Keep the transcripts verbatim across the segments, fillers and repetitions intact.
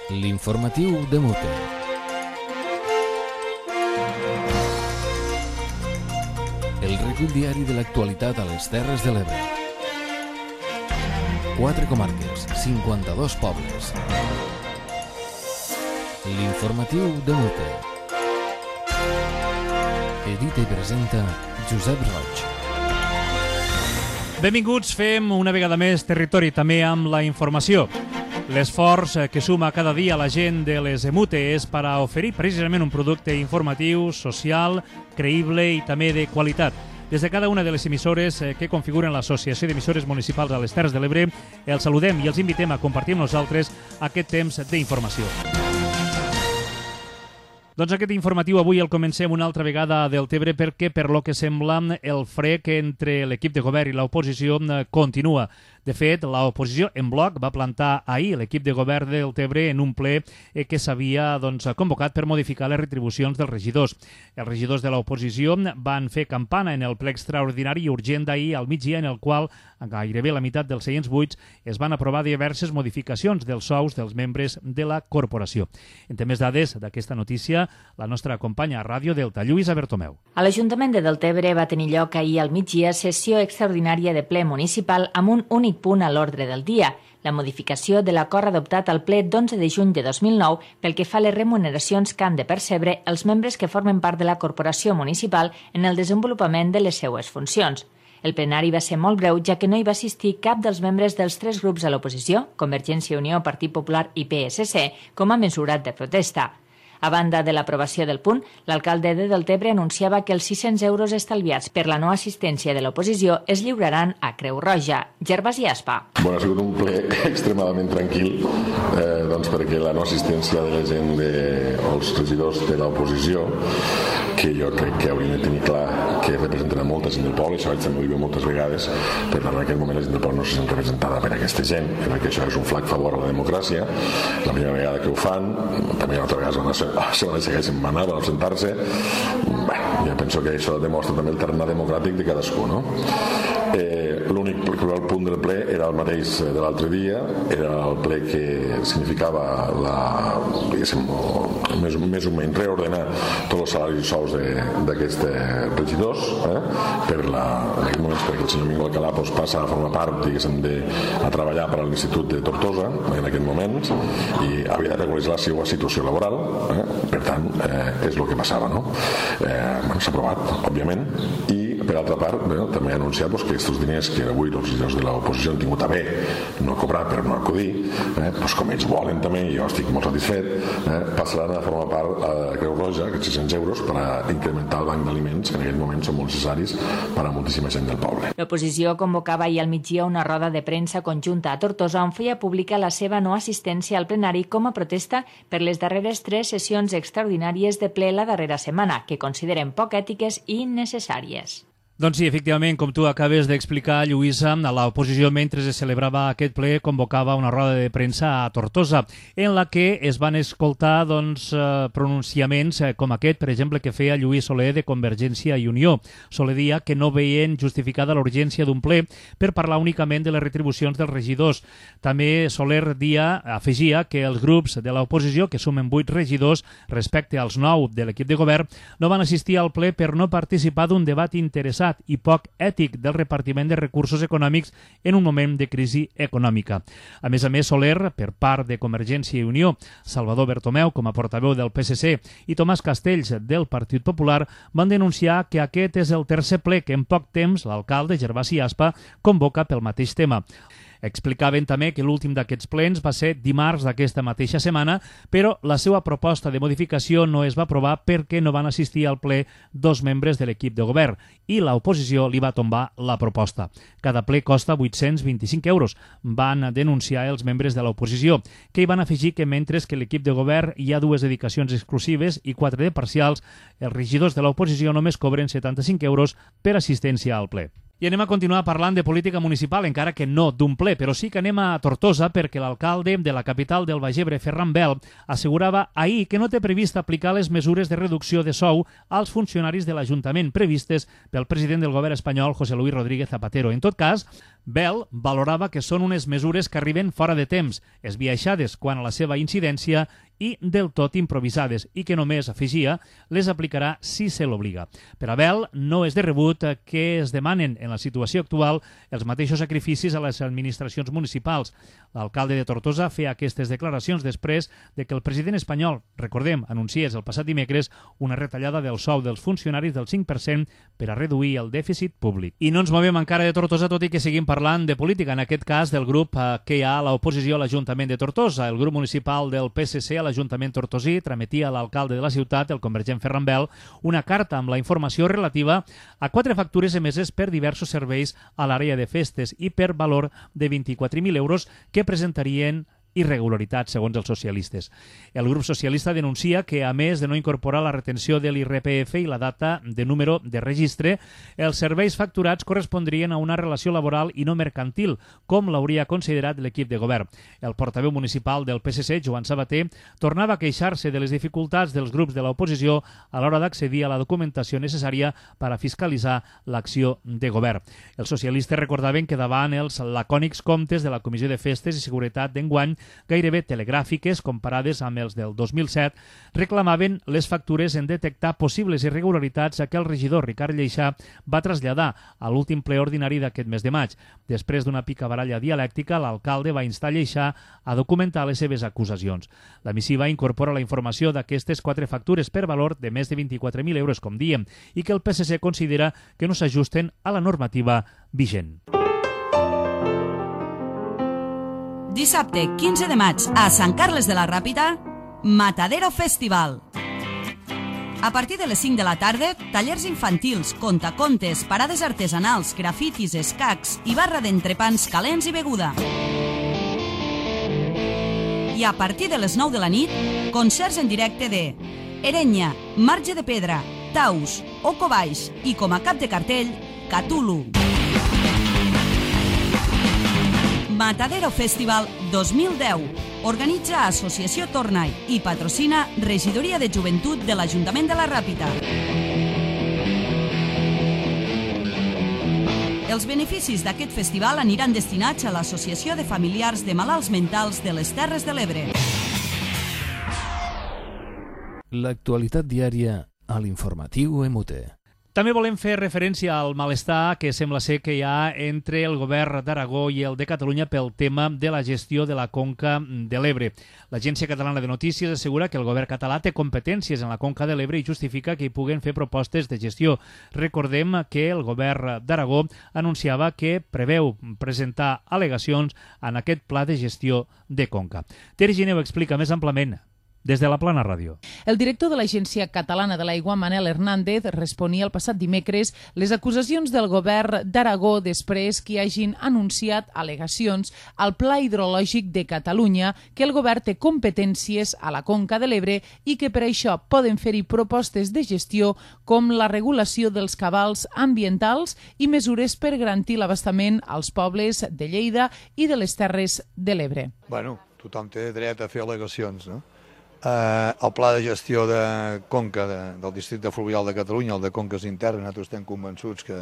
L'informatiu de Mute. El recull diari de l'actualitat a les Terres de l'Ebre. Quatre comarques, cinquanta-dos pobles. L'informatiu de Mute. Edita i presenta Josep Roig. Benvinguts, fem una vegada més territori també amb la informació. L'esforç que suma cada dia la gent de les Emute és per a oferir precisament un producte informatiu, social, creïble i també de qualitat. Des de cada una de les emissores que configuren l'Associació d'Emissores Municipals a les Terres de l'Ebre, els saludem i els invitem a compartir amb nosaltres aquest temps d'informació. Doncs aquest informatiu avui el comencem una altra vegada a Deltebre perquè, per lo que sembla, el frec entre l'equip de govern i l'oposició continua. De fet, l'oposició en bloc va plantar ahir l'equip de govern de Deltebre en un ple que s'havia doncs, convocat per modificar les retribucions dels regidors. Els regidors de l'oposició van fer campana en el ple extraordinari i urgent d'ahir al migdia, en el qual gairebé la meitat dels seients buits es van aprovar diverses modificacions dels sous dels membres de la corporació. En té més dades d'aquesta notícia la nostra companya a Ràdio Delta, Lluïsa Bertomeu. A l'Ajuntament de Deltebre va tenir lloc ahir al migdia sessió extraordinària de ple municipal amb un únic punt a l'ordre del dia, la modificació de l'acord adoptat al ple d'onze de juny de dos mil nou pel que fa a les remuneracions que han de percebre els membres que formen part de la corporació municipal en el desenvolupament de les seues funcions. El plenari va ser molt breu, ja que no hi va assistir cap dels membres dels tres grups a l'oposició, Convergència i Unió, Partit Popular i P S C, com a mesura de protesta. A banda de l'aprovació del punt, l'alcalde de Deltebre anunciava que els sis-cents euros estalviats per la no assistència de l'oposició es lliuraran a Creu Roja. Gervasi Aspa. Bueno, ha sigut un ple extremadament tranquil, eh, doncs perquè la no assistència de la gent de, els regidors de l'oposició, que jo crec que haurien de tenir clar que representen a molta gent del poble, això vaig també ho diu moltes vegades, per tant en aquest moment la gent del poble no se sent representada per aquesta gent. Jo crec que això és un flac favor a la democràcia, la primera vegada que ho fan, també una altra vegada van a la segona vegada que van anar, van absentar-se. Bé, jo penso que això demostra també el terreny democràtic de cadascú, no? Eh, l'únic el punt del ple era el mateix de l'altre dia, era el ple que significava la, diguéssim, més, més o menys reordenar tots els salaris i sous d'aquests regidors, eh? per la, en aquest moment perquè el senyor Mingo Alcalà pues, passa a formar part, diguéssim, de, a treballar per a l'Institut de Tortosa en aquest moment i havia de regularitzar la seva situació laboral, eh? per tant eh, és el que passava, no? Eh, bueno, s'ha aprovat, òbviament, i per altra part, bé, també ha anunciat pues, que aquests diners que avui els regidors de l'oposició han tingut a bé no cobrar per no acudir, eh, pues, com ells volen també, i jo estic molt satisfet, eh, passaran a formar part a Creu Roja, aquests sis-cents euros, per a incrementar el banc d'aliments, que en aquest moment són molt necessaris per a moltíssima gent del poble. L'oposició convocava ahir al migdia una roda de premsa conjunta a Tortosa on feia pública la seva no assistència al plenari com a protesta per les darreres tres sessions extraordinàries de ple la darrera setmana, que consideren poc ètiques i innecessàries. Doncs sí, efectivament, com tu acabes d'explicar, Lluïsa, l'oposició, mentre es celebrava aquest ple, convocava una roda de premsa a Tortosa, en la que es van escoltar doncs, pronunciaments com aquest, per exemple, que feia Lluís Soler de Convergència i Unió. Soler dia que no veien justificada l'urgència d'un ple per parlar únicament de les retribucions dels regidors. També Soler dia afegia que els grups de l'oposició, que sumen vuit regidors respecte als nou de l'equip de govern, no van assistir al ple per no participar d'un debat interessant i poc ètic del repartiment de recursos econòmics en un moment de crisi econòmica. A més a més, Soler, per part de Convergència i Unió, Salvador Bertomeu, com a portaveu del P S C, i Tomàs Castells, del Partit Popular, van denunciar que aquest és el tercer ple que en poc temps l'alcalde Gervasi Aspa convoca pel mateix tema. Explicaven també que l'últim d'aquests plens va ser dimarts d'aquesta mateixa setmana, però la seva proposta de modificació no es va aprovar perquè no van assistir al ple dos membres de l'equip de govern i l'oposició li va tombar la proposta. Cada ple costa vuit-cents vint-i-cinc euros, van denunciar els membres de l'oposició, que hi van afegir que mentre que l'equip de govern hi ha dues dedicacions exclusives i quatre de parcials, els regidors de l'oposició només cobren setanta-cinc euros per assistència al ple. I anem a continuar parlant de política municipal, encara que no d'un ple, però sí que anem a Tortosa perquè l'alcalde de la capital del Baix Ebre, Ferran Bel, assegurava ahir que no té previst aplicar les mesures de reducció de sou als funcionaris de l'Ajuntament previstes pel president del govern espanyol, José Luis Rodríguez Zapatero. En tot cas, Bel valorava que són unes mesures que arriben fora de temps, esbiaixades quant a la seva incidència i del tot improvisades, i que només, afegia, les aplicarà si se l'obliga. Per a Bel, no és de rebut que es demanen en la situació actual els mateixos sacrificis a les administracions municipals. L'alcalde de Tortosa feia aquestes declaracions després de que el president espanyol, recordem, anunciés el passat dimecres una retallada del sou dels funcionaris del cinc per cent per a reduir el dèficit públic. I no ens movem encara de Tortosa, tot i que seguim parlant de política, en aquest cas del grup que hi ha a l'oposició a l'Ajuntament de Tortosa. El grup municipal del P S C a l'Ajuntament tortosí trametia a l'alcalde de la ciutat, el convergent Ferran Bel, una carta amb la informació relativa a quatre factures emeses per diversos serveis a l'àrea de festes i per valor de vint-i-quatre mil euros que presentarien irregularitats, segons els socialistes. El grup socialista denuncia que, a més de no incorporar la retenció de l'I R P F i la data de número de registre, els serveis facturats correspondrien a una relació laboral i no mercantil, com l'hauria considerat l'equip de govern. El portaveu municipal del P S C, Joan Sabater, tornava a queixar-se de les dificultats dels grups de l'oposició a l'hora d'accedir a la documentació necessària per a fiscalitzar l'acció de govern. Els socialistes recordaven que davant els lacònics comptes de la Comissió de Festes i Seguretat d'enguany, gairebé telegràfiques comparades amb els del dos mil set, reclamaven les factures en detectar possibles irregularitats a què el regidor Ricard Lleixà va traslladar a l'últim ple ordinari d'aquest mes de maig. Després d'una picabaralla dialèctica, l'alcalde va instar Lleixà a documentar les seves acusacions. La missiva incorpora la informació d'aquestes quatre factures per valor de més de vint-i-quatre mil euros, com diem, i que el P S C considera que no s'ajusten a la normativa vigent. Dissabte, quinze de maig, a Sant Carles de la Ràpita, Matadero Festival. A partir de les cinc de la tarda, tallers infantils, contacontes, parades artesanals, grafitis, escacs i barra d'entrepans calents i beguda. I a partir de les nou de la nit, concerts en directe de Erenya, Marge de Pedra, Taus, Oco Baix i, com a cap de cartell, Cthulhu. Matadero Festival dos mil deu. Organitza Associació Tornai i patrocina Regidoria de Joventut de l'Ajuntament de la Ràpita. Els beneficis d'aquest festival aniran destinats a l'Associació de Familiars de Malalts Mentals de les Terres de l'Ebre. L'actualitat diària a l'informatiu M U T. També volem fer referència al malestar que sembla ser que hi ha entre el govern d'Aragó i el de Catalunya pel tema de la gestió de la conca de l'Ebre. L'Agència Catalana de Notícies assegura que el govern català té competències en la conca de l'Ebre i justifica que hi puguen fer propostes de gestió. Recordem que el govern d'Aragó anunciava que preveu presentar al·legacions en aquest pla de gestió de conca. Ter Gineu explica més amplament des de la Plana Ràdio. El director de l'Agència Catalana de l'Aigua, Manel Hernández, responia el passat dimecres les acusacions del govern d'Aragó després que hagin anunciat al·legacions al Pla Hidrològic de Catalunya que el govern té competències a la conca de l'Ebre i que per això poden fer-hi propostes de gestió com la regulació dels cabals ambientals i mesures per garantir l'abastament als pobles de Lleida i de les Terres de l'Ebre. Bueno, tothom té dret a fer al·legacions, no? Eh, el pla de gestió de conca de, del districte fluvial de Catalunya, el de conques internes, nosaltres estem convençuts que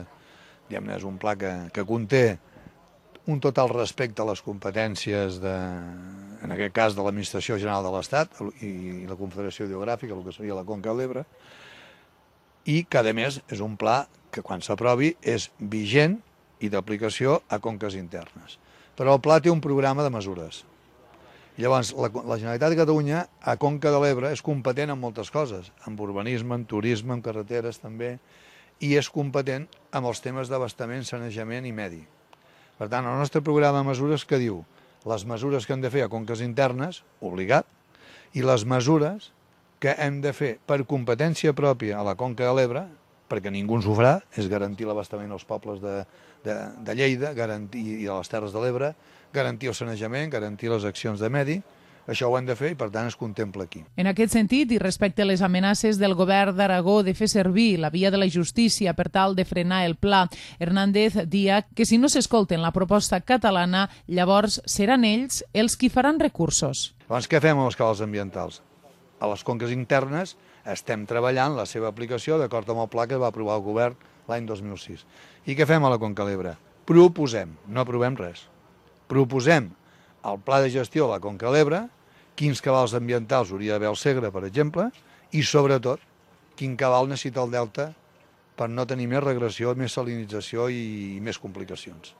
diguem-ne, és un pla que, que conté un total respecte a les competències de, en aquest cas de l'Administració General de l'Estat i, i la Confederació Hidrogràfica, el que seria la conca de l'Ebre, i que a més és un pla que quan s'aprovi és vigent i d'aplicació a conques internes. Però el pla té un programa de mesures. Llavors, la, la Generalitat de Catalunya a Conca de l'Ebre és competent en moltes coses, en urbanisme, en turisme, en carreteres també, i és competent amb els temes d'abastament, sanejament i medi. Per tant, el nostre programa de mesures que diu les mesures que hem de fer a conques internes, obligat, i les mesures que hem de fer per competència pròpia a la Conca de l'Ebre, perquè ningú ens ho farà, és garantir l'abastament als pobles de, de, de Lleida garantir, i de les Terres de l'Ebre, garantir el sanejament, garantir les accions de medi, això ho hem de fer i per tant es contempla aquí. En aquest sentit, i respecte a les amenaces del govern d'Aragó de fer servir la via de la justícia per tal de frenar el pla, Hernández dia que si no s'escolten la proposta catalana, llavors seran ells els qui faran recursos. Llavors, què fem amb els cabals ambientals? A les conques internes estem treballant la seva aplicació d'acord amb el pla que va aprovar el govern l'any dos mil sis. I què fem a la Conca l'Ebre? Proposem, no aprovem res, proposem el pla de gestió de la Conca l'Ebre, quins cabals ambientals hauria d'haver al Segre, per exemple, i sobretot quin cabal necessita el delta per no tenir més regressió, més salinització i més complicacions.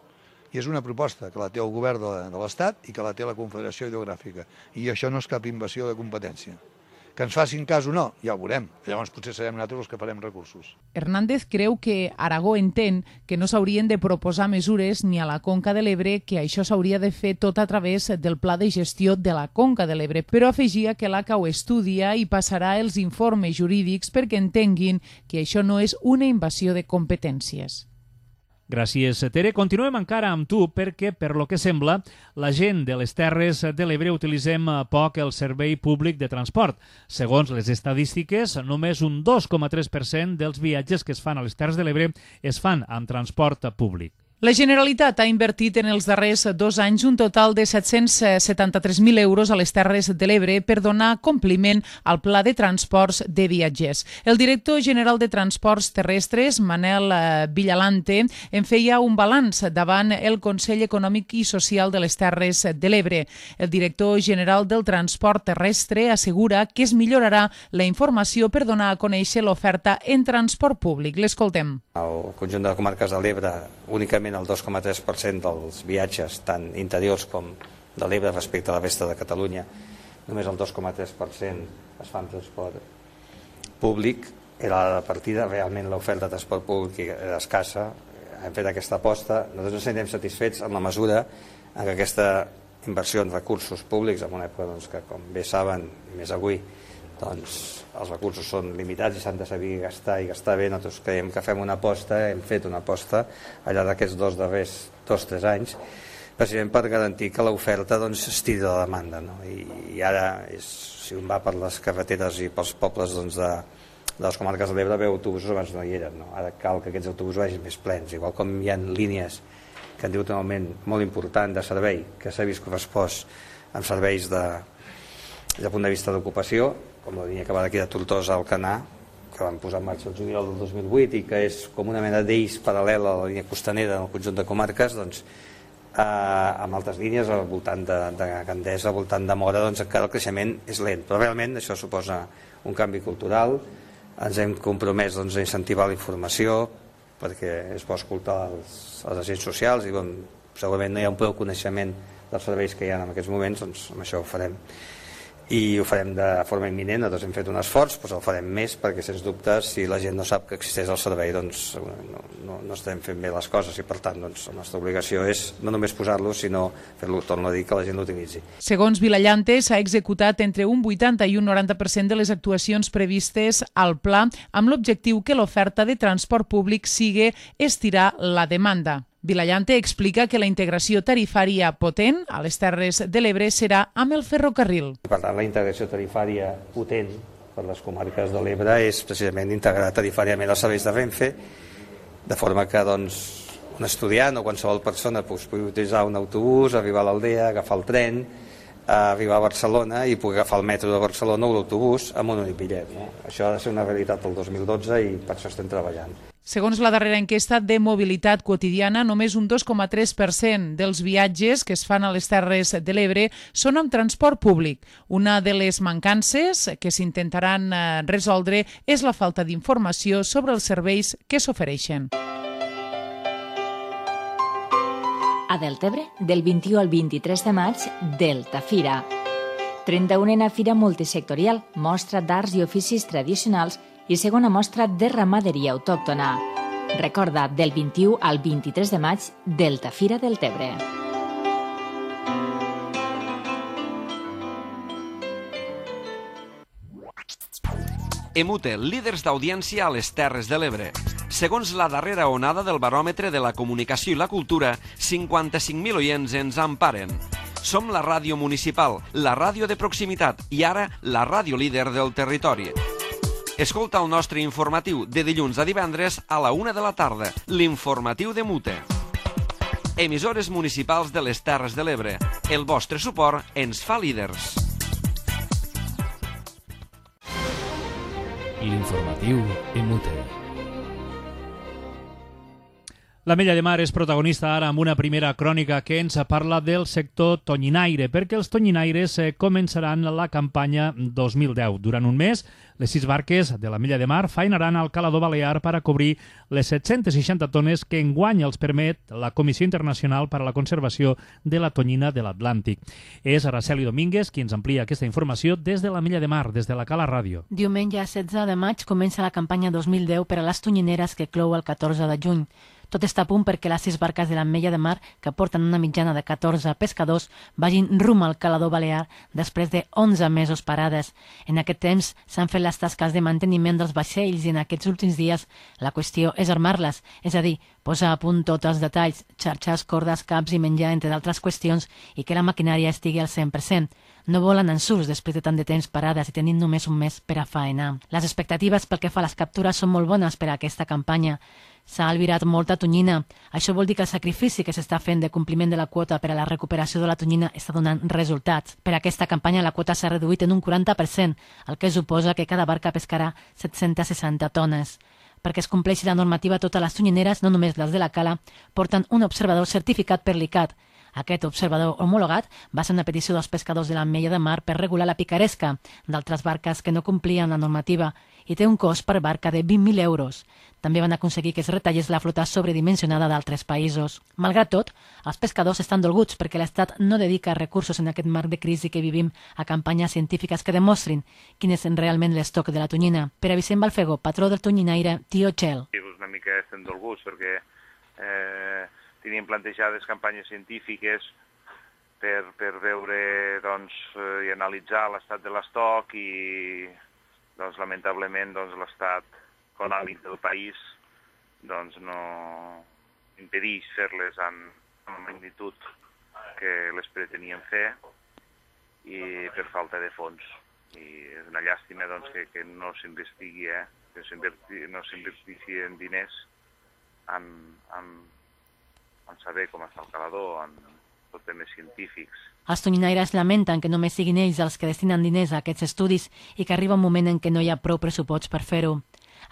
I és una proposta que la té el govern de l'Estat i que la té la Confederació Hidrogràfica. I això no és cap invasió de competència. Que ens facin cas o no, ja ho veurem. Llavors potser serem nosaltres els que farem recursos. Hernández creu que Aragó entén que no s'haurien de proposar mesures ni a la Conca de l'Ebre, que això s'hauria de fer tot a través del pla de gestió de la Conca de l'Ebre, però afegia que l'A C A ho estudia i passarà els informes jurídics perquè entenguin que això no és una invasió de competències. Gràcies, Tere. Continuem encara amb tu perquè, per lo que sembla, la gent de les Terres de l'Ebre utilitzem poc el servei públic de transport. Segons les estadístiques, només un dos coma tres per cent dels viatges que es fan a les Terres de l'Ebre es fan amb transport públic. La Generalitat ha invertit en els darrers dos anys un total de set-cents setanta-tres mil euros a les Terres de l'Ebre per donar compliment al Pla de Transports de Viatgers. El director general de Transports Terrestres, Manel Villalante, en feia un balanç davant el Consell Econòmic i Social de les Terres de l'Ebre. El director general del Transport Terrestre assegura que es millorarà la informació per donar a conèixer l'oferta en transport públic. L'escoltem. Al conjunt de comarques de l'Ebre, únicament el dos coma tres per cent dels viatges, tant interiors com de l'Ebre respecte a la resta de Catalunya, només el dos coma tres per cent es fa en transport públic. Era la partida, realment l'oferta de transport públic era escassa. Hem fet aquesta aposta. Nosaltres ens sentim satisfets en la mesura en què aquesta inversió en recursos públics, en una època doncs, que, com bé saben, més avui, doncs els recursos són limitats i s'han de saber gastar i gastar bé. Nosaltres creiem que fem una aposta, hem fet una aposta al llarg d'aquests dos darrers dos o tres anys, precisament per garantir que l'oferta doncs, estiri de la demanda. No? I, I ara, és, si un va per les carreteres i pels pobles doncs, de, de les comarques de l'Ebre, veu autobusos abans no hi eren. No? Ara cal que aquests autobusos vagin més plens, igual com hi ha línies que han tingut un augment molt important de servei, que s'ha vist correspost amb serveis de, des del punt de vista d'ocupació, com la línia que va d'aquí de Tortosa al Canà, que van posar en marxa el juliol del dos mil vuit i que és com una mena d'eix paral·lela a la línia costanera en el conjunt de comarques, doncs, eh, amb altres línies al voltant de, de Gandesa, al voltant de Mora, doncs encara el creixement és lent. Però realment això suposa un canvi cultural. Ens hem compromès doncs, a incentivar la informació, perquè es pot escoltar els, els agents socials i com segurament no hi ha un prou coneixement dels serveis que hi ha en aquests moments, doncs amb això ho farem. I ho farem de forma imminent. Nosaltres hem fet un esforç, doncs el farem més, perquè sens dubte si la gent no sap que existeix el servei doncs no, no, no estem fent bé les coses i per tant doncs, la nostra obligació és no només posar-lo sinó fer-lo, torno a dir, que la gent l'utilitzi. Segons Vilallante, s'ha executat entre un vuitanta i un noranta per cent de les actuacions previstes al pla amb l'objectiu que l'oferta de transport públic sigui estirar la demanda. Vilallante explica que la integració tarifària potent a les Terres de l'Ebre serà amb el ferrocarril. Per tant, la integració tarifària potent per les comarques de l'Ebre és precisament integrar tarifàriament els serveis de Renfe, de forma que doncs, un estudiant o qualsevol persona doncs, pugui utilitzar un autobús, arribar a l'aldea, agafar el tren, arribar a Barcelona i pugui agafar el metro de Barcelona o l'autobús amb un únic bitllet. No? Això ha de ser una realitat el dos mil dotze i per això estem treballant. Segons la darrera enquesta de mobilitat quotidiana, només un dos coma tres per cent dels viatges que es fan a les Terres de l'Ebre són amb transport públic. Una de les mancances que s'intentaran resoldre és la falta d'informació sobre els serveis que s'ofereixen. A Deltebre, del vint-i-u al vint-i-tres de maig, Delta Fira. trenta-unena Fira multisectorial, mostra d'arts i oficis tradicionals i segona mostra de ramaderia autòctona. Recorda, del vint-i-u al vint-i-tres de maig, Delta Fira Deltebre. Emute, líders d'audiència a les Terres de l'Ebre. Segons la darrera onada del baròmetre de la comunicació i la cultura, cinquanta-cinc mil oients ens emparen. Som la ràdio municipal, la ràdio de proximitat i ara la ràdio líder del territori. Escolta el nostre informatiu de dilluns a divendres a la una de la tarda, l'informatiu de Mute. Emissores municipals de les Terres de l'Ebre. El vostre suport ens fa líders. L'informatiu en Mute. L'Ametlla de Mar és protagonista ara amb una primera crònica que ens parla del sector tonyinaire, perquè els tonyinaires començaran la campanya dos mil deu. Durant un mes, les sis barques de l'Ametlla de Mar faenaran al calador balear per a cobrir les set-centes seixanta tones que enguany els permet la Comissió Internacional per a la Conservació de la Tonyina de l'Atlàntic. És Araceli Domínguez qui ens amplia aquesta informació des de l'Ametlla de Mar, des de la Cala Ràdio. Diumenge setze de maig comença la campanya dos mil deu per a les tonyineres que clou el catorze de juny. Tot està a punt perquè les sis barques de l'Ametlla de Mar, que porten una mitjana de catorze pescadors, vagin rum al calador balear després de onze mesos parades. En aquest temps s'han fet les tasques de manteniment dels vaixells i en aquests últims dies la qüestió és armar-les, és a dir, posar a punt tots els detalls, xarxes, cordes, caps i menjar, entre d'altres qüestions, i que la maquinària estigui al cent per cent. No volen ensurts després de tant de temps parades i tenint només un mes per a faenar. Les expectatives pel que fa a les captures són molt bones per a aquesta campanya. S'ha albirat molta tonyina. Això vol dir que el sacrifici que s'està fent de compliment de la quota per a la recuperació de la tonyina està donant resultats. Per a aquesta campanya la quota s'ha reduït en un quaranta per cent, el que suposa que cada barca pescarà set-centes seixanta tones. Perquè es compleixi la normativa, totes les tonyineres, no només les de la cala, porten un observador certificat per l'I C A T. Aquest observador homologat va ser una petició dels pescadors de l'Ametlla de Mar per regular la picaresca d'altres barques que no complien la normativa i té un cost per barca de vint mil euros. També van aconseguir que es retallés la flota sobredimensionada d'altres països. Malgrat tot, els pescadors estan dolguts perquè l'Estat no dedica recursos en aquest marc de crisi que vivim a campanyes científiques que demostrin quin és realment l'estoc de la tonyina. Per a Vicent Balfego, patró del tonyinaire Tio Txell. Una mica estem dolguts perquè eh, teníem plantejades campanyes científiques per, per veure doncs, i analitzar l'estat de l'estoc i doncs, lamentablement doncs, l'estat econòmic del país doncs, no impedeix fer-les en, en la magnitud que les preteníem fer i per falta de fons. I és una llàstima doncs, que, que no s'investigui, eh? que no s'investigui en diners en, en, en saber com està el calador, en tot temes científics. Els tonyinaires lamenten que només siguin ells els que destinen diners a aquests estudis i que arriba un moment en què no hi ha prou pressupost per fer-ho.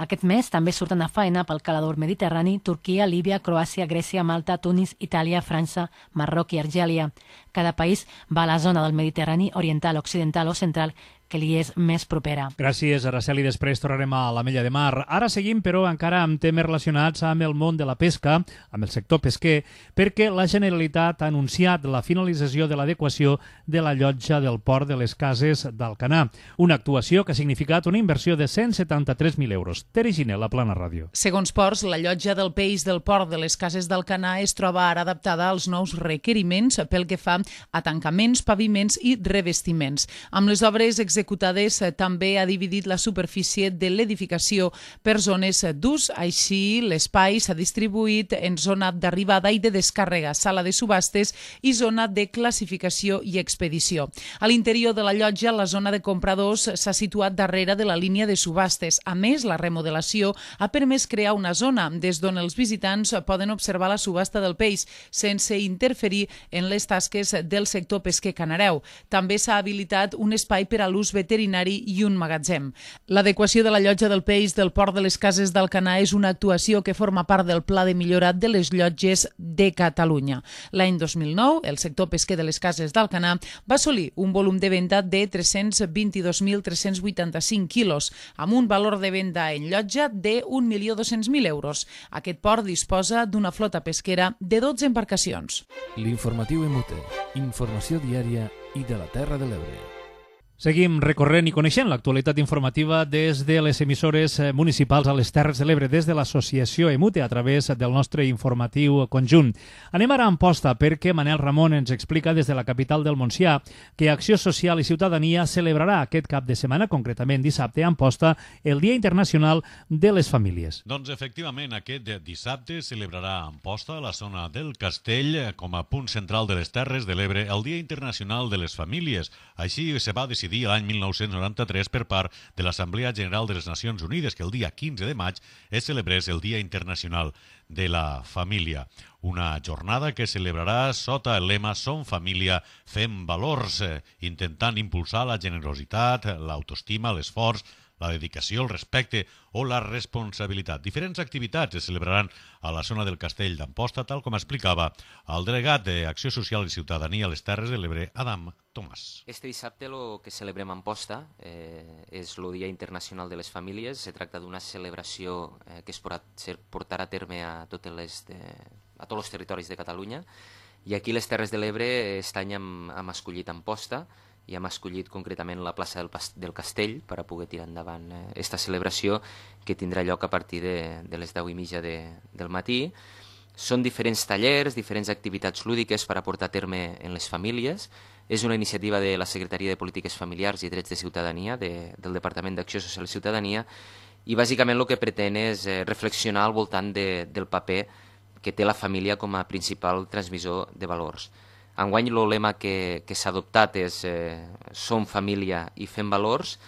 Aquest mes també surten a faena pel calador mediterrani Turquia, Líbia, Croàcia, Grècia, Malta, Tunis, Itàlia, França, Marroc i Argèlia. Cada país va a la zona del Mediterrani oriental, occidental o central que li és més propera. Gràcies, Araceli. Després tornarem a l'Ametlla de Mar. Ara seguim, però, encara amb temes relacionats amb el món de la pesca, amb el sector pesquer, perquè la Generalitat ha anunciat la finalització de l'adequació de la llotja del port de les Cases d'Alcanar, una actuació que ha significat una inversió de cent setanta-tres mil euros. Tere Giner, la Plana Ràdio. Segons Ports, la llotja del peix del port de les Cases d'Alcanar es troba ara adaptada als nous requeriments pel que fa a tancaments, paviments i revestiments. Amb les obres executives executades també ha dividit la superfície de l'edificació per zones d'ús. Així, l'espai s'ha distribuït en zona d'arribada i de descàrrega, sala de subhastes i zona de classificació i expedició. A l'interior de la llotja, la zona de compradors s'ha situat darrere de la línia de subhastes. A més, la remodelació ha permès crear una zona des d'on els visitants poden observar la subhasta del peix sense interferir en les tasques del sector pesquer canareu. També s'ha habilitat un espai per a l'ús veterinari i un magatzem. L'adequació de la llotja del peix del port de les Cases d'Alcanar és una actuació que forma part del Pla de Millora de les Llotges de Catalunya. L'any dos mil nou, el sector pesquer de les Cases d'Alcanar va assolir un volum de venda de tres-cents vint-i-dos mil tres-cents vuitanta-cinc quilos, amb un valor de venda en llotja de un milió dos-cents mil euros. Aquest port disposa d'una flota pesquera de dotze embarcacions. L'informatiu Emute, informació diària i de la Terra de l'Ebre. Seguim recorrent i coneixent l'actualitat informativa des de les emissores municipals a les Terres de l'Ebre, des de l'associació Emute, a través del nostre informatiu conjunt. Anem ara a Amposta perquè Manel Ramon ens explica des de la capital del Montsià que Acció Social i Ciutadania celebrarà aquest cap de setmana, concretament dissabte, a Amposta, el Dia Internacional de les Famílies. Doncs efectivament, aquest dissabte celebrarà a Amposta, a la zona del Castell, com a punt central de les Terres de l'Ebre, el Dia Internacional de les Famílies. Així se va decidir l'any mil nou-cents noranta-tres per part de l'Assemblea General de les Nacions Unides que el dia quinze de maig es celebrés el Dia Internacional de la Família. Una jornada que celebrarà sota el lema Som família, fem valors, intentant impulsar la generositat, l'autoestima, l'esforç, la dedicació, el respecte o la responsabilitat. Diferents activitats es celebraran a la zona del Castell d'Amposta, tal com explicava el delegat d'Acció Social i Ciutadania a les Terres de l'Ebre, Adam Tomàs. Este dissabte el que celebrem a Amposta eh, és el Dia Internacional de les Famílies. Se tracta d'una celebració eh, que es portarà a terme a, totes les de, a tots els territoris de Catalunya. I aquí a les Terres de l'Ebre aquest any hem, hem escollit Amposta i hem escollit concretament la plaça del, del Castell per a poder tirar endavant aquesta eh, celebració que tindrà lloc a partir de, de les deu i mitja de, del matí. Són diferents tallers, diferents activitats lúdiques per a portar a terme en les famílies. És una iniciativa de la Secretaria de Polítiques Familiars i Drets de Ciutadania, de, del Departament d'Acció Social i Ciutadania, i bàsicament el que pretén és eh, reflexionar al voltant de, del paper que té la família com a principal transmissor de valors. Enguany el lema que, que s'ha adoptat és eh, Som família i fem valors,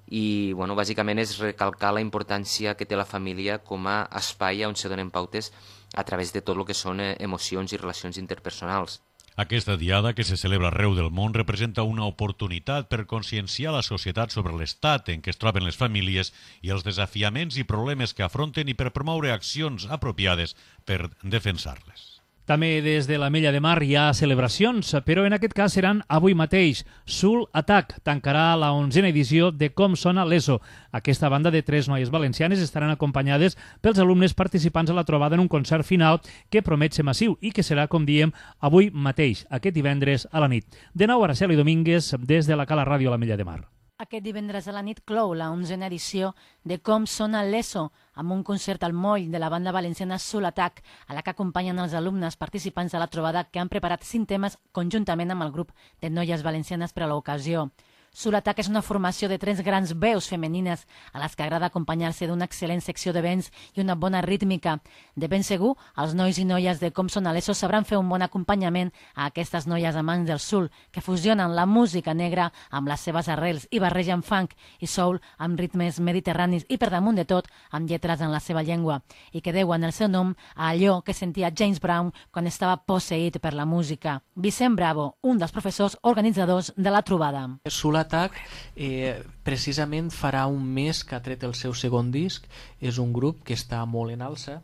i bueno, bàsicament és recalcar la importància que té la família com a espai on se donen pautes a través de tot el que són eh, emocions i relacions interpersonals. Aquesta diada, que se celebra arreu del món, representa una oportunitat per conscienciar la societat sobre l'estat en què es troben les famílies i els desafiaments i problemes que afronten i per promoure accions apropiades per defensar-les. També des de l'Ametlla de Mar hi ha celebracions, però en aquest cas seran avui mateix. Soul Attack tancarà la onzena edició de Com sona l'ESO. Aquesta banda de tres noies valencianes estaran acompanyades pels alumnes participants a la trobada en un concert final que promet ser massiu i que serà, com diem, avui mateix, aquest divendres a la nit. De nou, Araceli Domínguez, des de la Cala Ràdio a l'Ametlla de Mar. Aquest divendres a la nit clou la onzena edició de Com sona l'ESO, amb un concert al moll de la banda valenciana Soul Attack, a la que acompanyen els alumnes participants a la trobada que han preparat cinc temes conjuntament amb el grup de noies valencianes per a l'ocasió. Soul Attack és una formació de tres grans veus femenines a les que agrada acompanyar-se d'una excel·lent secció de vents i una bona rítmica. De ben segur, els nois i noies de Com sona l'ESO sabran fer un bon acompanyament a aquestes noies amants del soul, que fusionen la música negra amb les seves arrels i barregen funk i soul amb ritmes mediterranis i, per damunt de tot, amb lletres en la seva llengua, i que deuen el seu nom a allò que sentia James Brown quan estava posseït per la música. Vicent Bravo, un dels professors organitzadors de la trobada. Soul Attack eh, precisament farà un mes que ha tret el seu segon disc. És un grup que està molt en alça.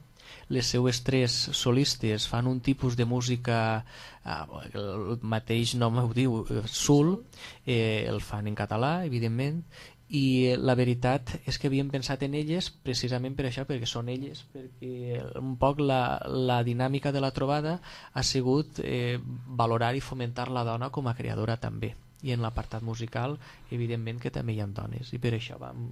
Les seues tres solistes fan un tipus de música, eh, el mateix nom ho diu, soul, eh, el fan en català, evidentment, i la veritat és que havíem pensat en elles precisament per això, perquè són elles, perquè un poc la, la dinàmica de la trobada ha sigut eh, valorar i fomentar la dona com a creadora també. I en l'apartat musical, evidentment que també hi ha dones, i per això vam,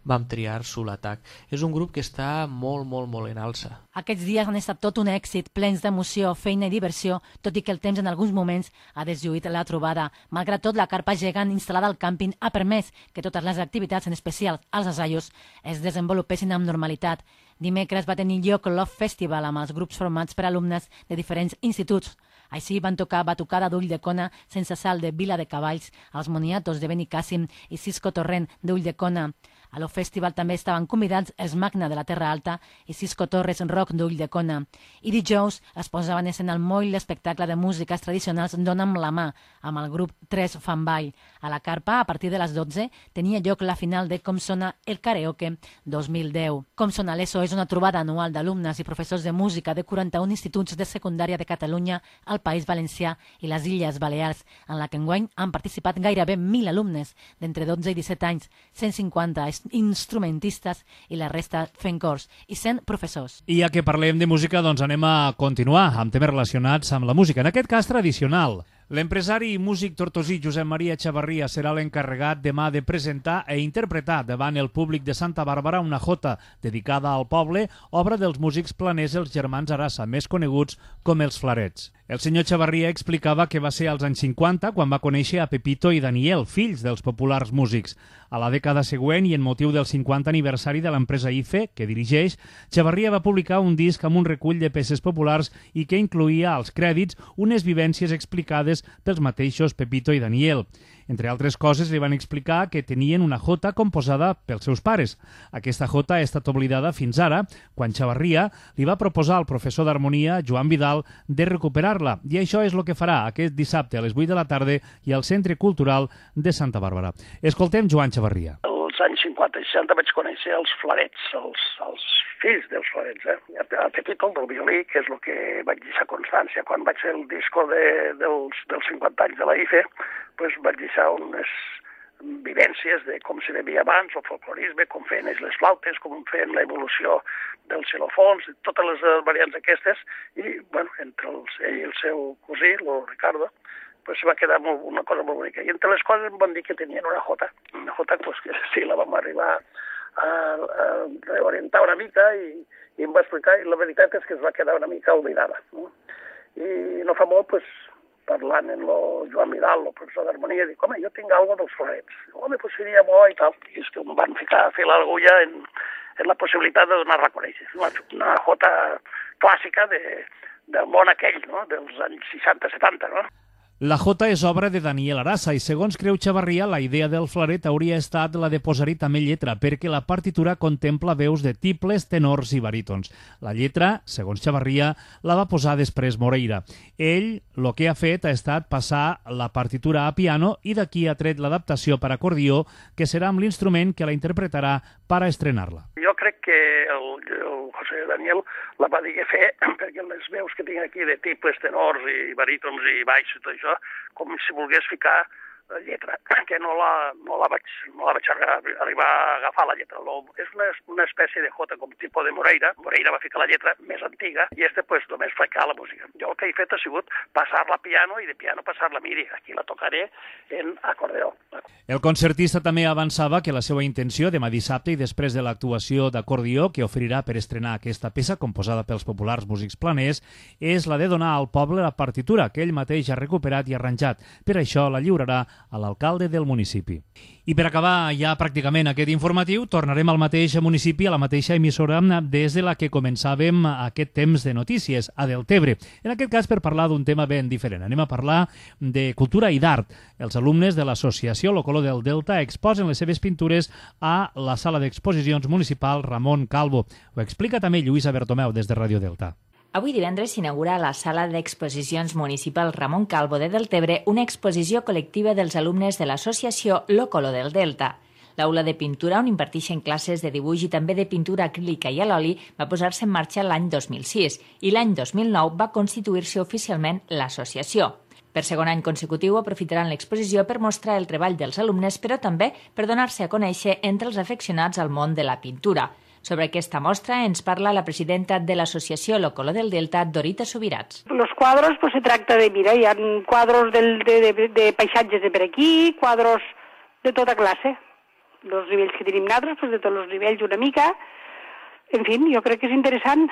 vam triar Soul Attack. És un grup que està molt, molt, molt en alça. Aquests dies han estat tot un èxit, plens d'emoció, feina i diversió, tot i que el temps en alguns moments ha deslluït la trobada. Malgrat tot, la carpa gegant instal·lada al càmping ha permès que totes les activitats, en especial els assajos, es desenvolupessin amb normalitat. Dimecres va tenir lloc l'Off Festival amb els grups formats per alumnes de diferents instituts. Així van tocar Batucada d'Ull de Cona, Sense Sal de Vila de Cavalls, Els Moniatos de Benicàssim i Cisco Torrent d'Ull de Cona. A l'Off Festival també estaven convidats els Magna de la Terra Alta i Cisco Torres Rock d'Ull de Cona. I dijous es posaven en escena al moll l'espectacle de músiques tradicionals Dóna'm la mà, amb el grup Tres Fan Ball. A la carpa, a partir de les dotze, tenia lloc la final de Com sona el karaoke dos mil deu. Com sona l'ESO és una trobada anual d'alumnes i professors de música de quaranta-un instituts de secundària de Catalunya, al País Valencià i les Illes Balears, en la que enguany han participat gairebé mil alumnes d'entre dotze i disset anys, cent cinquanta instrumentistes i la resta fent cors i sent professors. I ja que parlem de música, doncs anem a continuar amb temes relacionats amb la música, en aquest cas tradicional. L'empresari i músic tortosí Josep Maria Chavarria serà l'encarregat demà de presentar e interpretar davant el públic de Santa Bàrbara una jota dedicada al poble, obra dels músics planers els germans Arassa, més coneguts com els Flarets. El senyor Chavarria explicava que va ser als anys cinquanta quan va conèixer a Pepito i Daniel, fills dels populars músics. A la dècada següent i en motiu del cinquanta aniversari de l'empresa I F E, que dirigeix, Chavarria va publicar un disc amb un recull de peces populars i que incluïa als crèdits unes vivències explicades pels mateixos Pepito i Daniel. Entre altres coses, li van explicar que tenien una jota composada pels seus pares. Aquesta jota ha estat oblidada fins ara, quan Chavarria li va proposar al professor d'harmonia, Joan Vidal, de recuperar-la. I això és el que farà aquest dissabte a les vuit de la tarda i al Centre Cultural de Santa Bàrbara. Escoltem Joan Chavarria. Als anys cinquanta i seixanta vaig conèixer els Flarets, els, els fills dels Flarets, eh? A Pepito, del violí, que és el que vaig deixar constància. Quan vaig fer el disco de, dels, dels cinquanta anys de la I F E, pues vaig deixar unes vivències de com se bevia abans, el folclorisme, com feien ells les flautes, com feien l'evolució dels xilòfons, totes les variants aquestes, i, bueno, entre els, ell i el seu cosí, el Ricardo, pues va quedar molt, una cosa molt bonica. I entre les coses em van dir que tenien una jota, una jota pues, que sí, la vam arribar a, a reorientar una mica i, i em va explicar, i la veritat és que es va quedar una mica oblidada. No? I no fa molt, pues, parlant amb el Joan Vidal, el professor d'harmonia, dic, home, jo tinc alguna dels Flarets. Home, pues seria bo i tal. I és que em van ficar a fer l'agulla en, en la possibilitat de donar-la a conèixer. Una, una jota clàssica de, del món aquell, no? Dels anys seixanta setanta, no? La jota és obra de Daniel Arassa i, segons creu Chavarria, la idea del Flaret hauria estat la de posar-hi també lletra, perquè la partitura contempla veus de tibles, tenors i barítons. La lletra, segons Chavarria, la va posar després Moreira. Ell, el que ha fet ha estat passar la partitura a piano i d'aquí ha tret l'adaptació per acordió, que serà amb l'instrument que la interpretarà per a estrenar-la. Jo crec que el, el José Daniel la va dir fer perquè les veus que tinc aquí de tibles, tenors i barítons i baix i tot això, com si volgués ficar la lletra, que no la, no la vaig, no la vaig arribar a agafar la lletra. Lo, és una, una espècie de jota com tipus de Moreira. Moreira va ficar la lletra més antiga i este pues només ficar la música. Jo el que he fet ha sigut passar-la a piano i de piano passar-la a midi. Aquí la tocaré en acordeó. El concertista també avançava que la seva intenció demà dissabte i després de l'actuació d'acordió que oferirà per estrenar aquesta peça composada pels populars músics planers és la de donar al poble la partitura que ell mateix ha recuperat i arranjat. Per això la lliurarà a l'alcalde del municipi. I per acabar ja pràcticament aquest informatiu, tornarem al mateix municipi, a la mateixa emissora des de la que començàvem aquest temps de notícies, a Deltebre. En aquest cas per parlar d'un tema ben diferent. Anem a parlar de cultura i d'art. Els alumnes de l'associació Lo Color del Delta exposen les seves pintures a la sala d'exposicions municipal Ramon Calvo. Ho explica també Lluïsa Bertomeu des de Ràdio Delta. Avui divendres s'inaugura a la sala d'exposicions municipal Ramon Calvo de Deltebre una exposició col·lectiva dels alumnes de l'associació Lo Color del Delta. L'aula de pintura, on imparteixen classes de dibuix i també de pintura acrílica i a l'oli, va posar-se en marxa l'any dos mil sis i l'any dos mil nou va constituir-se oficialment l'associació. Per segon any consecutiu aprofitaran l'exposició per mostrar el treball dels alumnes, però també per donar-se a conèixer entre els afeccionats al món de la pintura. Sobre aquesta mostra ens parla la presidenta de l'associació Lo Color del Delta, Dorita Subirats. Los cuadros, pues se tracta de, mira, hi ha cuadros del, de, de, de paisatges de per aquí, cuadros de tota classe. Los nivells que tenim nosaltres, pues de tots els nivells una mica. En fi, jo crec que és interessant.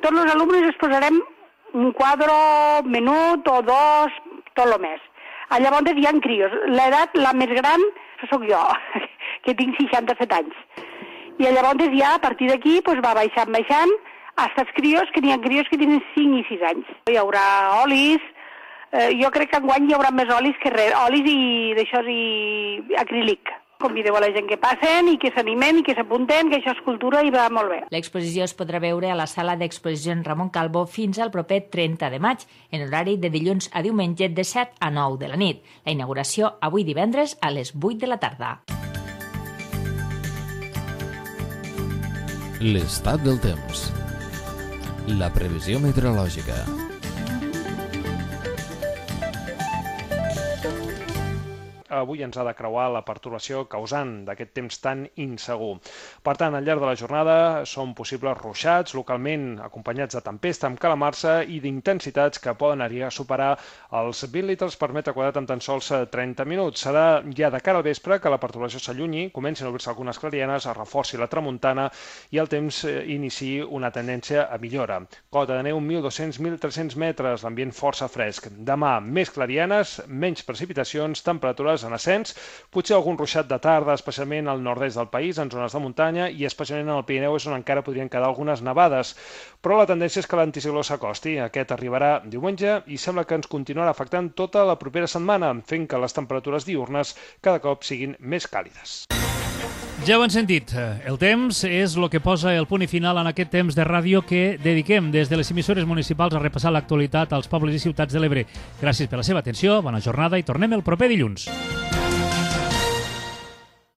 Tots els alumnes es posarem un quadre menut o dos, tot el més. Llavors hi ha crios. L'edat, la més gran, soc jo, que tinc seixanta-set anys. I llavors ja, a partir d'aquí, pues, va baixant, baixant, fins als crios, que n'hi ha crios que tenen cinc i sis anys. Hi haurà olis, eh, jo crec que enguany hi haurà més olis que res, olis i d'això i acrílic. Convideu a la gent que passen i que s'animen i que s'apunten, que això és cultura i va molt bé. L'exposició es podrà veure a la sala d'exposicions Ramon Calvo fins al proper trenta de maig, en horari de dilluns a diumenge de set a nou de la nit. La inauguració avui divendres a les vuit de la tarda. L'estat del temps. La previsió meteorològica. avui ens ha de creuar la pertorbació causant d'aquest temps tan insegur. Per tant, al llarg de la jornada són possibles ruixats, localment acompanyats de tempesta amb calamarsa i d'intensitats que poden arribar a superar els vint litres per metre quadrat en tan sols trenta minuts. Serà ja de cara al vespre que la pertorbació s'allunyi, comencin a obrir-se algunes clarianes, es reforci la tramuntana i el temps iniciï una tendència a millora. Cota de neu mil dos-cents a mil tres-cents metres, l'ambient força fresc. Demà, més clarianes, menys precipitacions, temperatures en ascens, potser algun ruixat de tarda, especialment al nord-est del país, en zones de muntanya, i especialment en el Pirineu és on encara podrien quedar algunes nevades. Però la tendència és que l'anticicló s'acosti. Aquest arribarà diumenge i sembla que ens continuarà afectant tota la propera setmana, fent que les temperatures diürnes cada cop siguin més càlides. Ja ho han sentit, el temps és el que posa el punt i final en aquest temps de ràdio que dediquem des de les emissores municipals a repassar l'actualitat als pobles i ciutats de l'Ebre. Gràcies per la seva atenció, bona jornada i tornem el proper dilluns.